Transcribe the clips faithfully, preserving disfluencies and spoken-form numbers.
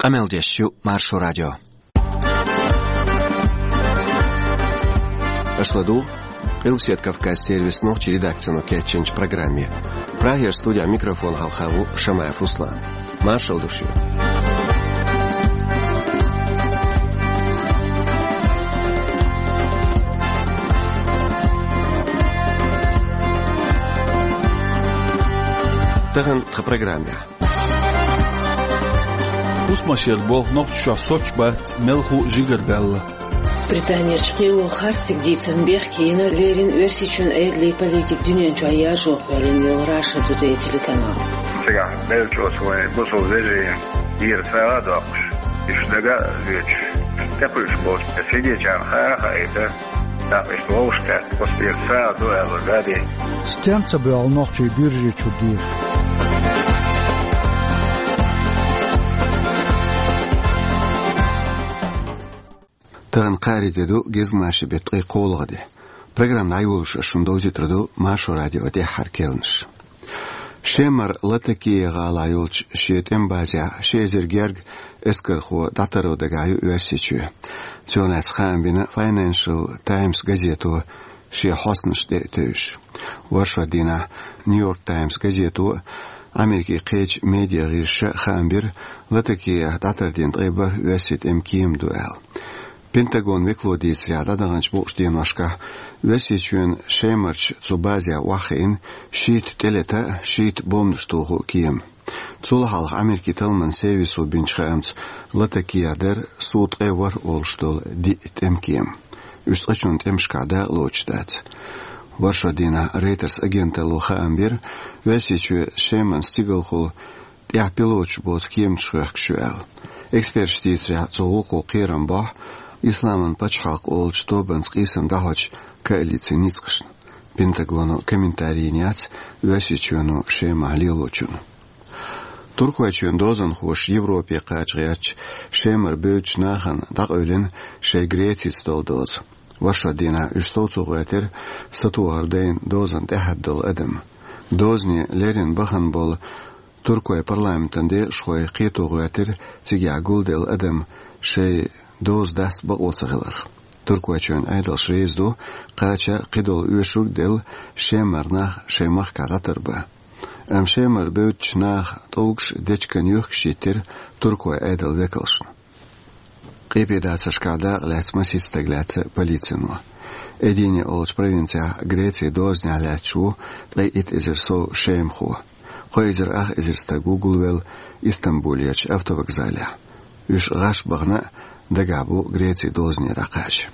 Къамел деш ю Маршо радио. Аша ладугӀу Къилбаседа Кавказан сервисан нохчийн редакцино кечйинчу программе. Прагера студехь микрофон хьалха ву Шамаев Руслан. Маршалла ду шуьга. Тахана тхан программехь. ХӀусамашера болх Нохчийчохь соцуш бац, мелхо а жигара баьлла. Британерчу кхело харцдерг дийцарна бехке йина леррина Оьрсийчоьнан Ӏедалан политика дуьнен чохь яржо кхоьллина йолу Раша Тудей телеканал. Цигахь беллачу оцу вайн бусалба вежарийн тӀера сагӀа а доккхуш, уьш дага а лоьцуш, тӀекхуьуш болчу сидечарна хаа а хаийта, тӀаккха иштта вовшахкхетта, оцу тӀера сагӀа ду аьлла, гадий. Стенца боьлху нохчий буьржичу деша? Тахана кхаарин де ду, гезгмашин беттан ткъе кхоалгӀа де. Программа дӀайолош ас шуна довзуьйтур ду Маршо радион тӀаьххьара керланаш. Шемара Латакия гӀалахь йолчу шен тӀеман базехь ши эзар гергга эскархо дӀатарро дагахь ю Оьрсийчоь. Цунах лаьцна хаам бина Financial Times газето шен хьостанаш тӀе а тевжаш. ВорхӀ шо дийнахь Нью-Йорк Таймс газето а, Америкин кхечу медиа гӀирсаша а хаам бира Латакиях дӀатардина ткъе бархӀ оьрсийн тӀеман кема ду аьлла. Пентагонан векало дийцарехь, дӀадаханчу букъ шина деношкахь Оьрсийчоьнан Шемарчу цу базехь охьахиъна шийтта тӀелета а, шийтта бомбанаш туху а кема. Цул хьалха Америкин талламан сервисо бинчу хаамца, Латакиях дара сув ткъе ворхӀ олуш долу диъ тӀеман кема. Уьш цкъачунна тӀемашкахь дакъалоцуш дац. ВорхӀ шо дийнахь Reuters агенталло хаам бира, Оьрсийчоь Шеман стигалхула тӀехь пилоташ боцу кеманаш хоьхкуш ю аьлла. Эксперташа дийцарехь, цу гӀуллакхо кхерам бохьу Исламан пачхьалкх олучу тобанца къийсам дӀахьочу коалицин ницкъашна. Пентагоно комментари йина яц Оьрсийчоьно Шемахь лелочунна. Туркойчоьнан дозанхоша Европе кхача гӀертачу Шемара бевддачу нахана дӀакъевлина шайн Грецица долу доза. ВорхӀ шо дийнахь уьш совцо гӀоьртира сатохар дайна дозанна тӀаьхьа долу адам. Дозане леррина бахана болу Туркойн парламентан декъашхой кхето гӀоьртира цигахь гулделла адам шайн доза даста бакъо ца хиларх. Туркойчоьнан Ӏедалш реза ду, кхача а, кхидолу оьшург а делла, Шемара нах шайн махкахь дӀатарбан. Амма Шемара бевддачу наха тӀулгаш дечиган юьхкаш йиттира туркойн Ӏедалан векалшна. Къепедацаршкахь дакъа лаьцна масийтта стаг лаьцна полицино. Эдине олучу провинцехь Грецин дозанехь лаьтташ ву ткъе итт эзар сов шемахо. Кхо эзар ах эзар стаг ву гулвелла Истамбулерчу автовокзалехь. Уьш гӀаш бахана а, дагахь бу Грецин дозане дӀакхача.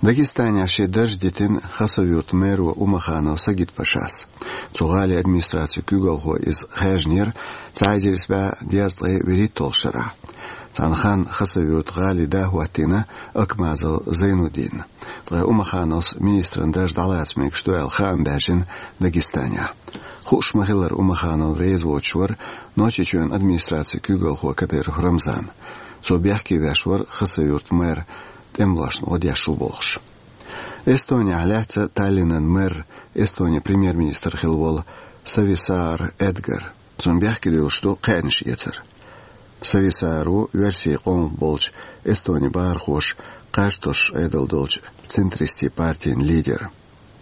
Дагестанехь шен дарж дитина Хасавюртан мэро Умаханов Сагитпашас. Цу гӀалин администрацин куьйгалхо иза хаьржинера цхьа эзар исс бӀе дезткъе вуьрхӀитталгӀачу шарахь. Цхьана ханна Хасавюртан гӀалин да хӀоттийна Акмазов Зайнудинна. Ткъа Умахановс министран дарж дӀалаца мегаш ду аьлла хаам баьржина Дагестанехь. Хууш ма-хиллара, Умаханов реза воцуш вара Нохчийчоьнан администрацин куьйгалхо Кадыров Рамзан. Цо бехке веш вара Хасавюртан мэр тӀемалошна гӀо деш ву бохуш. Эстонехь лаьцна Таллинан мэр, Эстонин премьер-министр хилла волу Сависаар Эдгар. Цунна бехке дуьллуш ду кхаьънаш эцар. Сависаар ву оьрсийн къомах болчу Эстонин бахархоша кхаж тосуш Ӏедал долчу центристийн партин лидер.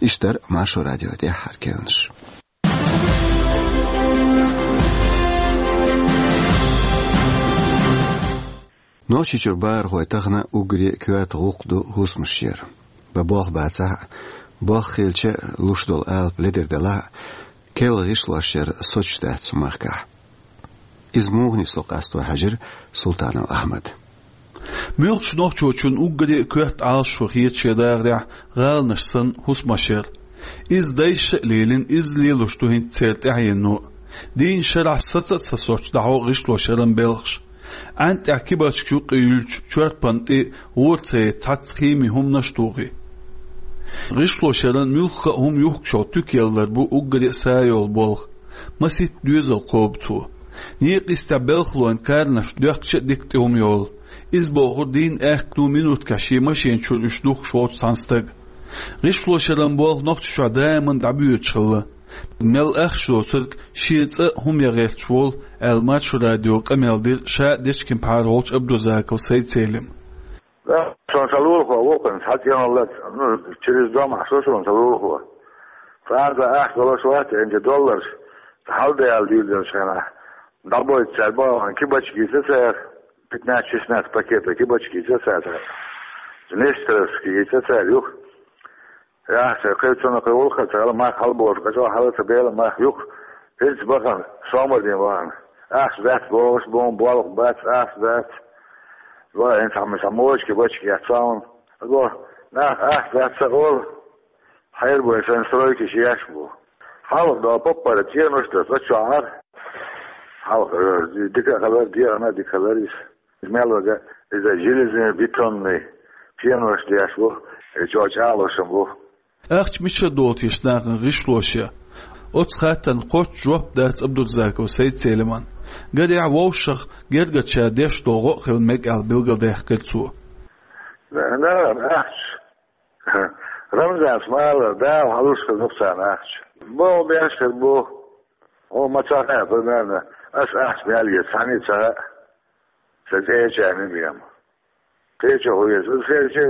Иштта дара Маршо радион тӀаьххьара керланаш. Нохчийчуьра бахархой тахана уггаре а коьрта гӀуллакх ду хӀусамашера. Бан болх бацахь а, болх хилча а луш долу алапа ледара делахь а, керла гӀишлошъяран соцуш дац махкахь. Иза муха нисло къасто хьаьжира Султанов Ахьмада. Муьлххачу нохчочунна уггаре а коьрта Ӏалашо хета шен дахарехь гӀаланаш санна хӀусамашъяр. Иза дайша а лелийна, иза лелош ду хӀинца церан тӀаьхьено а. Дийнна шарахь саца а ца соцуш дӀахьо гӀишлошъяран белхаш. Ӏаьнна тӀехь кибарчигаш юккъе юьллучу чорпанна тӀе гӀора ца яйта цхьацца химин хӀуманаш а тухий. ГӀишлошъяран муьлхха а хӀума юхкучул туька яллар бу уггаре а са йолу болх. Масийтта доьзал кхобу цо. Некъа йистехь белхалойн каранаш доьхкича а дика тӀе хӀума йолу. Иза бохург дийнан аьхкенна минуткахь шен машен чуьра уьш духкуш волчу цхьана стага. ГӀишлошъяран болх Нохчийчохь даиман дӀабоьдуш хилла. Мел ахча доцург шен цӀа а хӀума ян гӀерташ волу, аьлла, Маршо радиога къамел дира ша Дечкин-Пхьара волчу Абдурзаков Сайд-Селима. Да, сон сан лулахо ву-кх, цхьа цӀен хӀаллак, ну, через дом ахь со сон сан лулахо. Цара ахча долуш вац, энча долларш, хьалдаьлла дийр долчу хенахь, дӀабойту цара бахана кибачка йийца цара, пятнадцать-шестнадцать пакета кибачка йийца цара, Нестеровский йийца цара юха. Яхь, ша кхечунна кхин вулхха ца хила мах хьалаболуш, кхечо хьала ца бела мах юха, хӀинца бахана, сомал дийна вахана. Ахча дац бохуш, боху болх бац, ахча дац. Ва, хӀинца хьан сан мочки бачки яц сауна. Бо, нах ахча дац ца олу, хьербой сан стройки шеш бу. Хьалха до поппара цӀенош до, цӀа чохьара. Хьалха, э, дика а хилар, дегӀана а дика хилар иза. Мел вага, иза железобетонный пенош деш бу, и чӀогӀа чӀагӀлуш бу. Ахча мичара долу теша нахана гӀишлош я? Оцу хаттарна кхоччуш жоп дац Абдурзаков Сайд-Селиман. Гарехь, вовшах гергарчара деш долу гӀо а хила мега аьлла билгалдаьккхира цо. Да, да, ахча. Рамзанс ма аллара, Дала хьалуш хир ду-кх царна ахча. Боху беш хир бу. Хьо ма ца хаьа, примерно, ас ахча мел еза, цхьаьна а ца хаьа. Сан цӀе ча мимиям. Кхечо хӀун еза? Аса хӀинца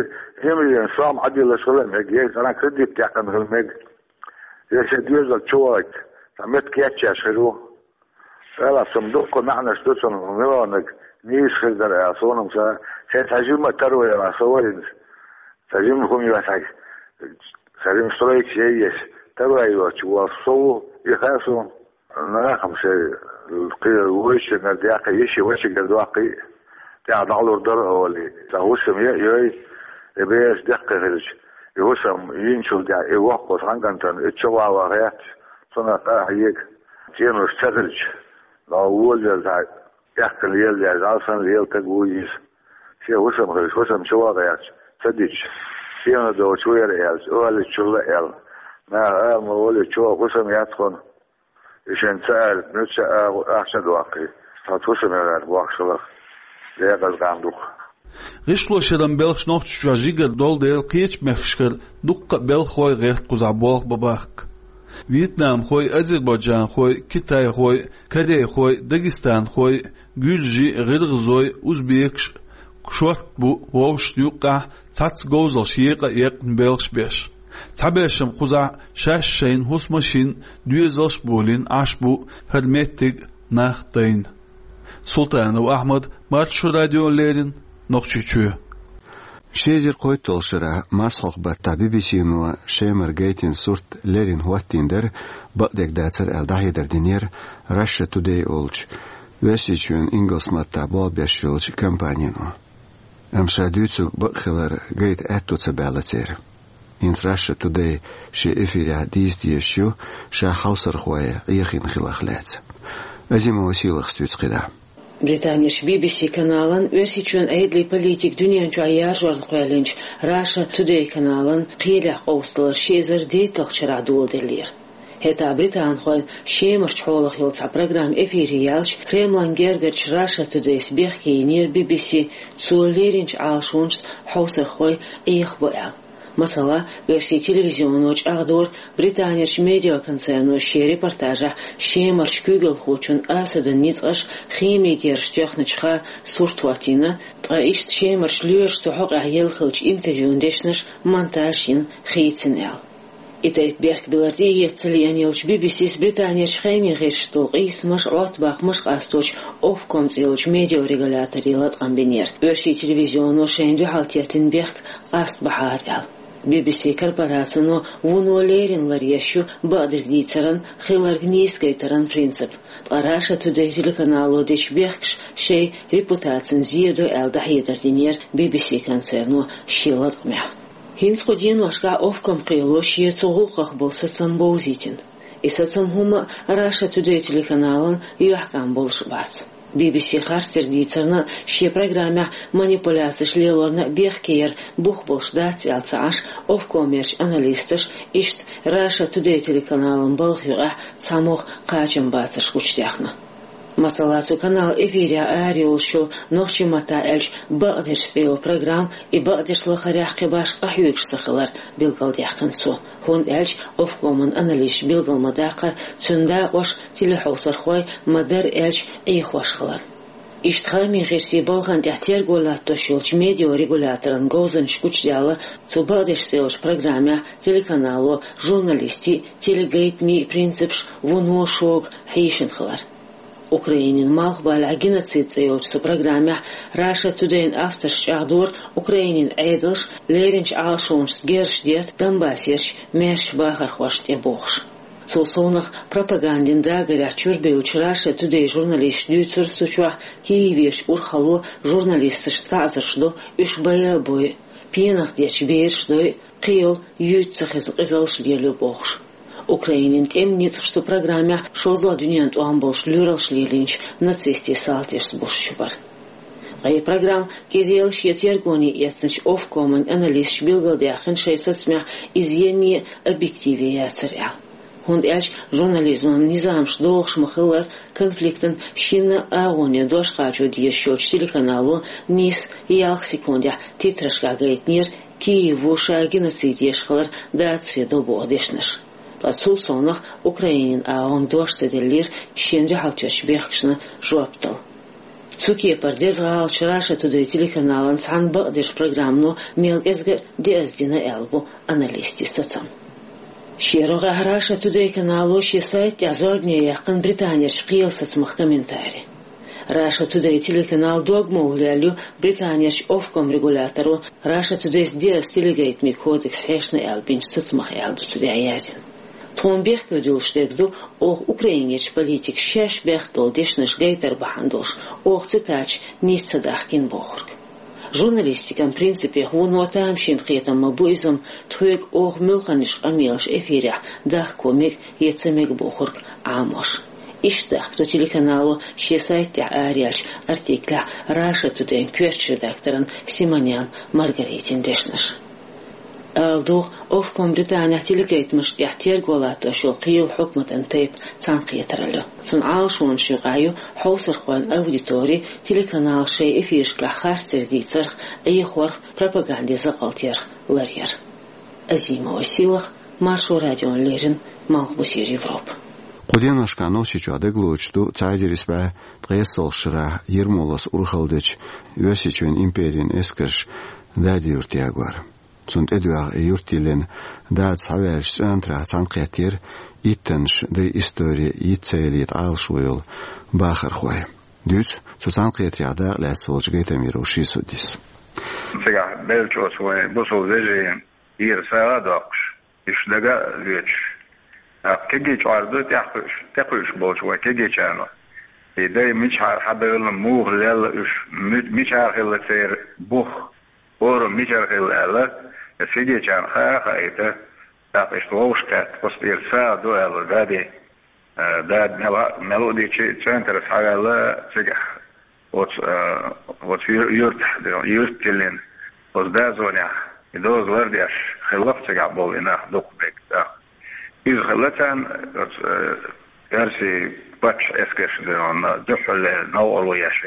мимиям, сом Ӏадиллаш хила мега, е цӀарна кредит дехкана хила мега. Е шен доьзал чу вахийта, цхьа метта кечъеш хир ву. Ала, сум дуккха маьӀнаш ду цунна, миллионниг нийса хир дара аьлла, суна-м ца, шайн цхьа жимма таро яра со вайна. Цхьа жимма хӀума йоцхьа, цхьа жимма стройка яйеш, таро йоцуш волу со ву, и хаьа суна. Нахам шайн кхин вуьйшиннара деккхий, йиши вачигара доккхий, тӀаьхьа дӀалур дара олий. Цхьа хӀусам е а йой, и бераш деккхий хилча, и хӀусам йинчул тӀаьхьа, и воккхалла цхьана кӀантана, и чу ван ван гӀерташ, цунах къахьега, цӀенош ца хилча, но волавелла цхьа, эккхал лела деш, Дала санна лела стаг ву иза. Шен хӀусам хилча, хӀусам чу ван гӀерташ, ца дича, цӀено долчу ву яра аьлча, олуччул а аьлла. Наха ала ма волий, чӀогӀа хӀусам яц хьуна. И шен ца алита, муьлхха а агӀо ахча а доккхий, цхьа хӀусам яра бохуш хиларх, декъаза къам ду-кх. ГӀишлошъяран белхаш Нохчийчохь жигара долу дела, кхечу мехкашкара дуккха а белхахой гӀерта кхузахь болх бан бахка. Вьетнамхой, азербайджанхой, китайхой, корейхой, дагестанхой, гуьржий, гӀиргӀазой, узбекаш шортта бу, вовшашна юккъехь цхьацца говзалш екъа а екъна белхаш беш. Цхьаберш-м кхузахь шаьш шайна хӀусамаш йина, доьзалш а болийна Ӏаш бу, хӀара меттиг нах а дайна. Султанов Ахьмад, Маршо радиона леррина, Нохчийчоь. Ши эзар кхойтталгӀачу шарахь марсхьокху баттахь Би-Би-Си-но Шемара гайтина сурт леррина хӀоттийна дара, бакъдерг дацара аьлла дӀахьедар динера Russia Today олучу, Оьрсийчоьнан ингалс маттахь болх беш йолчу компанино. Амма ша дуьйцург бакъ хилар гайта аьтто ца баьлла церан. ХӀинца Russia Today шен эфирехь дийца дезаш ю ша хьовсархой Ӏехийна хиларх лаьцна. Азимова Сийлахас дуьйцу кхидӀа. Британерчу Би-Би-Си каналан, Оьрсийчоьнан Ӏедалан политика дуьнен чохь яржорна кхоьллинчу Russia Today каналан кхелехь къовсадалар ши эзар дейтталгӀачу шарахь доладеллера. ХӀетахь британхойн Шемарчу хьолах йолу цхьа программа эфире яьлча, Кремлан гергарчу Russia Today-с бехке йинера Би-Би-Си, цо леринчу Ӏалашонашца хьовсархой Ӏехабо аьлла. Масала, оьрсийн телевизионо чӀагӀдора Британерчу медиаконцерно шен репортажехь Шемарчу куьйгалхочун Асадан ницкъаша химин герзаш тоьхначу хан сурт хӀоттийна, ткъа иштта Шемарчу лоьраша цу хьокъехь елла хиллачу интервьюн дешнаш монтаж йина хийцина аьлла. И тайпа бехк билар тӀеэца ца лиъна йолчу Би-Би-Сис Британерчу хаамийн гӀирсашца долу къийсамаш, Ӏоттабаккхамаш къасточу Ofcom цӀе йолчу медиарегуляторе латкъам бинера. Оьрсийн телевизионо шайна дуьхьал теттина бехк къаста бахьара аьлла. Би-Би-Си корпорацино вуно леррина ларъеш ю бакъдерг дийцаран, хилларг нийса гайтаран принцип. Ткъа Russia Today телеканало дечу бехкаш шайн репутацина зен до аьлла дӀахьедар динера Би-Би-Си концерно шен латкъамехь. ХӀинца кху деношкахь Ofcom кхело шен цу гӀуллакхах болу сацам бовзийтина. И сацам хӀумма а Russia Today телеканалан юьхькӀам болуш бац. Би-Би-Си харцдерг дийцарна а, шен программехь манипуляцеш лелорна а бехке яр бух болуш дац аьлла ца Ӏаш, Ofcom-ерчу аналисташа иштта Russia Today телеканалан балха юкъехь цхьамогӀа кхачамбацарш гучудаьхна. Масала, цу каналан эфирехь арайолуш йолу, нохчийн маттахь аьлча, «Бакъдерш» цӀе йолу программа, и бакъдерш лахарехь кхин башха къахьоьгуш ца хилар билгалдаьккхина цо, хӀунда аьлча Офкоман аналисташа билгал ма-даккхара, цуьнан дакъош телехьовсархой, ма-дарра аьлча, Ӏехош хилар. Иштта хаамийн гӀирсийн балхана тӀехь терго латтош йолчу медиарегуляторан говзанчаша гучудаьлла цу «Бакъдерш» цӀе йолчу программехь телеканало журналистийн а, телегайтамийн а принципаш вуно шога хьийшина хилар. Украинин малхбалехь «Геноцид» цӀе йолчу цу программехь Russia Today-н авторша чӀагӀдора Украинин Ӏедалша леринчу Ӏалашонашца герзаш детта Донбассерчу маьршачу бахархошна тӀе бохуш. Цул совнаха, пропагандин дагарехь чуьра бевллачу Russia Today журналисташа дуьйцура цу чохь Киевехь урхалло журналисташна таӀзарш до, уьш байа а бойу, пенах дечу бераш дойу, кхин йолу юьйцу ца хезна къизаллаш лелайо бохуш. Украинин тӀеман ницкъаша цу программехь шозлагӀа дуьненан тӀом болуш лоьралш лелийначу нацистийн салташца бусалба чу бара. Ткъа и программа кӀеделла шен тергоне эцначу Офкоман аналисташа билгалдаьккхина шайн сацамехь, иза енне а объективе яцара аьлла. ХӀунда аьлча журнализман низамаш догӀуш ма-хиллара, конфликтан шина агӀоне дош кхачо дезаш йолчу телеканало нийсса ялх секундехь титрашкахь гайтинера Киево ша геноцид еш хилар дацаре до боху дешнаш. Ткъа цул совнаха Украинин агӀонга дош ца деллера шен дуьхьалчуьрчу бехкашна жоп дала. Цу кепара деза гӀалаташ Russia Today телеканалан цхьана «Бакъдерш» программано мел кӀезга а деаздина аьлла бу аналистийн сацам. Шен рогӀехь Russia Today канало шен сайта тӀехь зорбане яьккхина Британерчу кхелан сацамах комментари. Russia Today телеканал догмалла лелайо Британерчу Офком регуляторо Russia Today-с деаза телегайтамийн кодекс хьешна аьлла бинчу сацамах аьлла ду цу тӀехь яздина. Тхуна бехке дуьллуш дерг ду, оха Украинерчу политикаша шаьш бехк долу дешнаш гайтар бахьана долуш, оха цитаташ нийса ца дахкийна бохург. Журналистикан принципех вуно тамашийна кхетам ма бу иза-м, тхоьга оха муьлханнаш къамелаш эфирехь дахко мега я ца мега бохург Ӏамош. Иштта дахка ду телеканало шен сайта тӀехь араяьллачу артиклехь Russia Today-н коьртачу редакторан Симонян Маргаритин дешнаш. Ала догӀу, Офком Британехь телегайтамашна тӀехь терго латтош йолу кхелан хьукматан тайпа цхьаьнакхетаралла ю. Цуьнан Ӏалашонаш юкъахь ю хьовсархойн аудитори, телеканал шайн эфирашкахь харцдерг дийцарх, Ӏехорх, пропагандин закъалтех ларъяр. Азимова Сийлаха, Маршо радиона леррина, Малхбузера Европа. Кху деношкахь Нохчийчохь дагалоцуш ду цхьа эзар исс бӀе ткъайоьсналгӀачу шарахь Ермолас урхалла дечу Оьрсийчоьнан империн эскарш Дади-Юрт ягор. Цунна тӀедоьгӀна и юрт йиллина, Дада схьаваьллачу цӀоьнтарахь цхьаьнакхеттера иттаннаш дайн истори йиц ца ялийта Ӏалашо йолу бахархой. Дуьйцу цу цхьаьнакхетарехь дакъа лаьцна волчу Гайтамиров Шисудис. Цигахь беллачу оцу вайн бусалба вежарийн тӀера сагӀа а доккхуш, уьш дага а лоьцуш, тӀаккха кегий чкъор ду тӀекхуьуш, тӀекхуьуш болчу вайн кегийчарна. И дай мичахьара хьабевлла, муха лелла уьш, ми-, мичара хилла церан бух, орам мичара хилла аьлла, и кегийчарна хаа а хаийта, тӀаккха иштта вовшахкхетта, оцу тӀера сагӀа ду аьлла, Дади. Э, Дада мел а, мел а дийцича, цӀоьнтара схьаваьлла цигахь, оцу, э, оцу ю-, юьртахь, юьрт тиллина, оцу дозанехь, и доза лардеш хилла-кх цигахь болу и нах дукха мега тӀаккха. Иза хилла царна оцу, э, оьрсийн паччахьан эскарша дуьхьал новкъарло еш.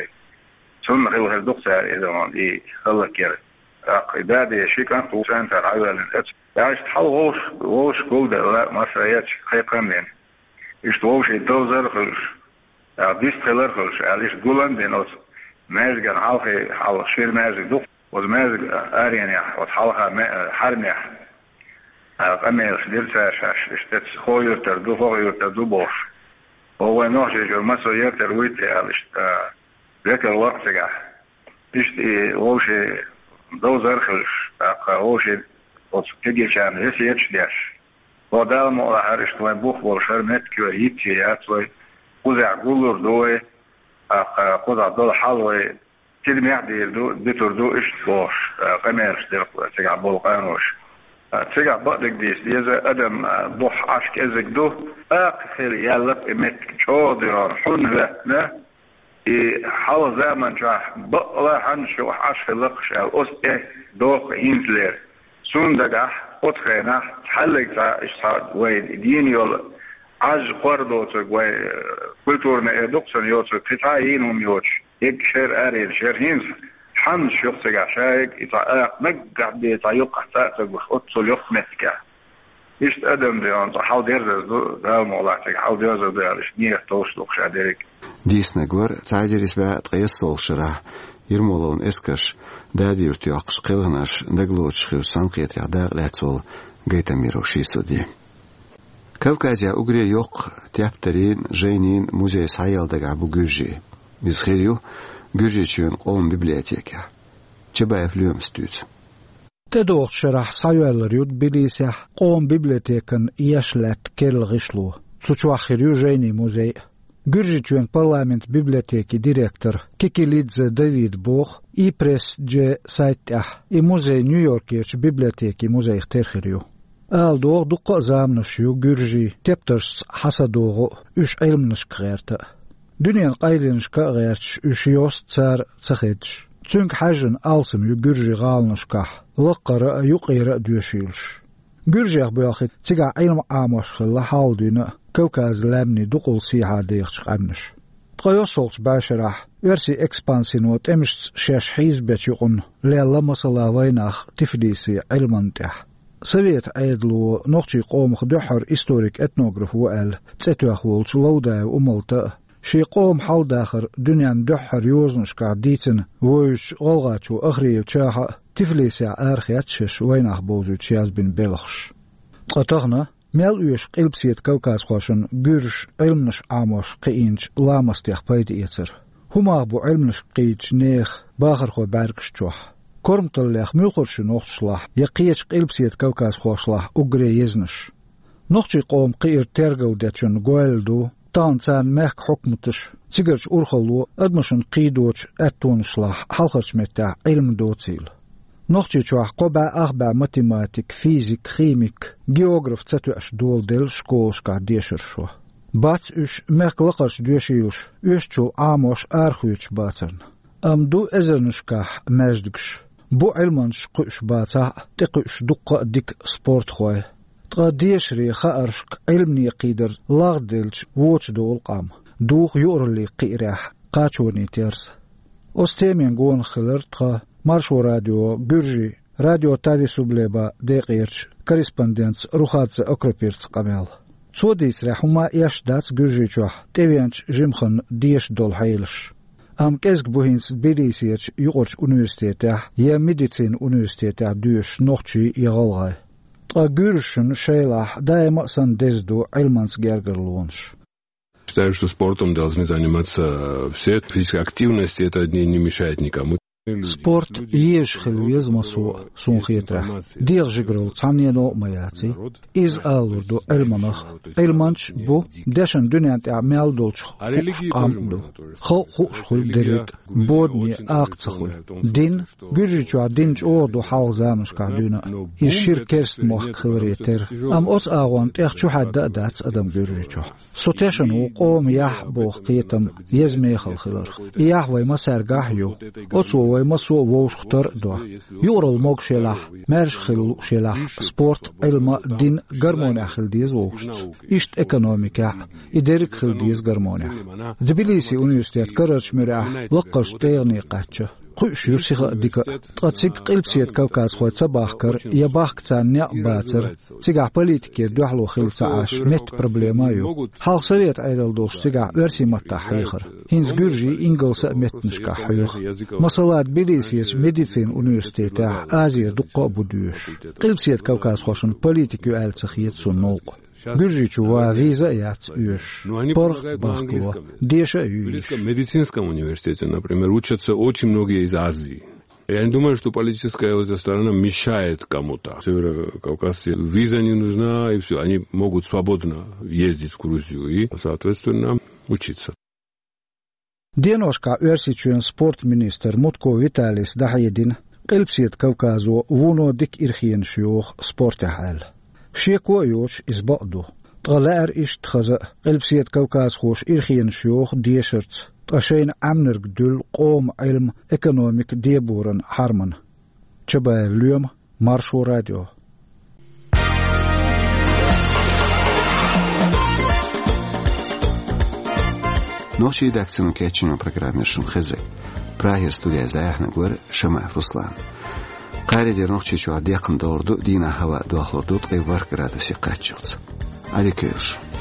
Цунна хилла хир ду-кх цара иза, и хӀаллакьяр. ТӀаккха и Дади ши кӀант ву цӀоьнтара хьавоьллина. Оцу, иштта хьал вовш-, вовшашка гулделла, массо а эцча кхайкхам бина. Иштта вовшийн довзар а хуьлуш, а, вист хилар а хуьлуш аьлла, иштта гулам а бина оцу маьждиган хьалхе, хьалха шира маьждиг ду-кх. Оцу маьждиган аренехь, оцу хьалха ме-, хьаьрмехь, а, къамелаш дира цара шаьш, иштта эцца хӀокху юьртара ду, хӀокху юьртара ду бохуш. Хьо вайн Нохчийчуьра массо а юьртара вуй те аьлла, иштта, а, векал вара-кх цигахь. Иштта и вовшийн довзар а хуьлуш, тӀаккха вовшийн оцу кегийчарна весеташ а деш. Хьо Дала мукъалахь, хӀара иштта вайн бух болуш хӀара меттиг йицъян яц вай, кхузахь гуллур ду вай, тӀаккха кхузахь долу хьал вай тидамехь а дийр ду, дитур ду, иштта бохуш, а, къамелаш дира-кх цигахь болу къаноша. А, цигахь бакъдерг дийца деза, адам, а, бух Ӏаш кӀезиг ду, акха хила яьлла-кх и меттиг чӀогӀа дерон, хьун хӀоьттина, и хьалха заман чохь бакъалла хьанна шух Ӏаш хилла-кх аьлла, оцу тӀе доху хӀинцалера. Цунна дагахь, оцу хенахь, цхьаьллиг цхьа, иштта цхьа вай дийна йолу Ӏаж кхор доцург вай, э, культурный эр ду-кх цунна йоцург, кхин цхьа а йийна хӀума йоцуш, егга шера арийна шера хӀинца, хьаннаш ю-кх цигахь ша егга, и цхьа акха наггахь бен, цхьа юккъехь цӀа а ца гуш, оццул йоккха меттигехь. Иштта адам де, он цхьа хьал дерзар ду, Дала мукъ лахь, цига хьал дерзар ду аьлла, иштта нигат товш ду-кх ша дерриг. Дийцинарг вара цхьа эзар исс бӀе ткъаесналгӀачу шарахь Ермоловн эскарша Дади-Юрт йоккхуш, кхелхинарш дагалоцуш хиллачу цхьаьнакхетарехь дакъа лаьцна волу Гайтамиров Шийсудди. Кавказехь уггаре йоккха тептарийн, жайнийн музей схьаелла дагахь бу Гуьржи. Иза хир ю Гуьржийчоьнан къоман библиотекехь. Чабаев Лоьмас дуьйцу. ТӀедогӀучу шарахь схьайоьллур ю Тбилисехь къоман библиотекан еш лаьтта керла гӀишло. Цу чохь хир ю жайнийн музей а. Гуьржийчоьнан парламентан библиотекин директора Кикилидзе Давида боху, и-пресс-дж сайта тӀехь и музей Нью-Йоркерчу библиотекин музейх тера хир ю. Ала догӀу, дуккха а заманаш ю гуьржийн тептаршца хьа са догӀу а, уьш Ӏилманашка гӀерта а. Дуьненан къайленашка а гӀерташ, уьш йост цара ца хедаш. Цуьнга хьаьжжина алсам ю гуьржийн гӀаланашкахь лакхара а, юккъера а доьшийлаш. Гуьржех боьлхийча цигахь Ӏилма Ӏамош хилла хьалха дуьйна а Кавказан лаьмнийн дукъал сехьа дехачу къаьмнаша. Ткъа йоьссалгӀачу бӀешарахь оьрсийн экспансино тӀемашца шаьш хьийзабечу юкъана лелла масала вайнах Тифлисе Ӏилманна тӀехь. Советан Ӏедало нохчийн къомах дуьххьара историк-этнограф ву аьлла цӀе тоьхна волчу Лаудаев Умалта а, шен къоман хьал-дахар дуьненна дуьххьара йозанашкахь дийцина вевзачу гӀалгӀачо Ахриев Чаха а Тифлисехь арахецна шаьш вайнах бовзуьйтуш язбина белхаш. Ткъа тахана мел оьшу Къилбаседа кавказхошна гуьржаша Ӏилманаш Ӏамош кхиийначу ламастех пайда эцар? ХӀун мах бу Ӏилманашка кхийдачу нехан бахархойн бӀаьргаш чохь? Корматаллех муьлхарш ю нохчашлахь я кхечу Къилбаседа кавказхошлахь уггаре езанаш? Нохчийн къоман кхиар тергалдечунна гойла ду тахана царна мехкан хьукматаша, цигарчу урхалло адамашна кхийдочу аьттонашлахь хьалхарчу меттехь Ӏилма доцийла. Нохчийчохь кхо бӀе ах бӀе математик, физик, химик, географ ца тоьаш доладелла школашкахь дешархой. Бац уьш мехкан лакхарчу доьшийлаша оьшучул Ӏамош арахоьцуш бацарна. Амма ду эзарнашкахь маьждигаш, бу Ӏилманчаш кхуьуш бацахь а, тӀекхуьуш дуккха а дика спортхой. Ткъа дешаре, хааршка Ӏилмане кхийдар лагӀделча вочу долу къам, духу юкъараллин кхиарехь кхачонийн терса. Оцу темина гонах хилира тхан Маршо радион гуьржийн радио Тави Сублеба декъерчу корреспондентца Рухадзе Акропирца къамел. Цо дийцарехь, хӀума а эшна дац Гуьржийчохь тӀевеанчу жимахана деша долу хьелаш. Амма кӀезиг бу хӀинца Тбилисерчу юкъарчу университетехь я медицинан университетехь доьшуш нохчий я гӀалгӀай. Ткъа гуьржашна шайлахь даима а санна деза ду Ӏилманца гергарлонаш. Считаю, что спортом должны заниматься все. Физическая активность, это не, не мешает никому. Спорт езаш хила веза массо а, суна хетарехь. ДегӀажигаралла цхьаннено а ма яций. Иза алалур ду Ӏилманах. Ӏилманчаш бу дешан дуьнен тӀехь мел долчух хууш къам а ду. Халкъ хууш хуьлу дерриг а, бодане акха ца хуьлу. Дин, Гуьржийчохь дин чӀогӀа ду хьалха заманашкахь дуьйна а. Иза шира керста мохк хиларе терра. Амма оцу агӀонна тӀех чухьаьдда а дац адам Гуьржийчохь. Со тешна ву къоман яхь боху кхетам еза мехала хиларх. И яхь вайн массаьргахь а ю. Оцо вай массо а вовшахтар а до. Юкъаралла могуш елахь, маьрша хила лууш елахь, спорт, Ӏилма, дин гармонехь хила деза вовшашца. Иштта экономикехь а, и дерриг хила деза гармонехь. Тбилисин университет карарчу муьрехь лакхарчу тӀегӀане кхаьчна. Кхуьуш ю сиха а, дика а. Ткъа цига Къилбаседа кавказхой ца бахкар я бахка царна некъ бацар, цигахь политикера дуьхьало хилла ца Ӏаш, метта проблема а ю. Хьалха Советан Ӏедал долуш цигахь оьрсийн маттахь хьехара. ХӀинца гуьржийн, ингалсан а меттанашкахь хьоьху. Масала, Тбилисерчу медицинан университетехь Азера дуккха а бу доьшуш. Къилбаседа кавказхошна политика ю аьлла ца хета суна новкъа. Гуьржийчу ван виза а яц оьшуш. ПаргӀат а бахкало, деша а ю йиш. В Тбилисском медицинском университете, например, учатся очень многие из Азии. Я не думаю, что политическая вот эта сторона мешает кому-то. Северокавказцы, виза не нужна, и все. Они могут свободно ездить в Грузию и, соответственно, учиться. Деношкахь Оьрсийчоьнан спортан министр Мутко Виталис дӀахьедина, Къилбаседа Кавказо вуно дика ирхенаш йоху спортехь аьлла. Шеко а йоцуш, иза бакъ ду. Ткъа лаьара иштта хаза а, Къилбаседа Кавказхоша ирхенаш йоху дешарца, ткъа шайна Ӏаьмнарг дуьллу къоман Ӏилма, экономика деборан хьарамна. Чабаев Лоьма, Маршо радио. Нохчийн редакцино кечйина программа яр шун хеза. Прагера студехь зӀаьхьнарг вара Шамаев Руслан. Кхаре дера Нохчийчохь декхна догӀур ду, дийнахь хӀаваъ дохлур ду ткъе ворхӀ градусе кхаччалц. Ӏадика йойла шун.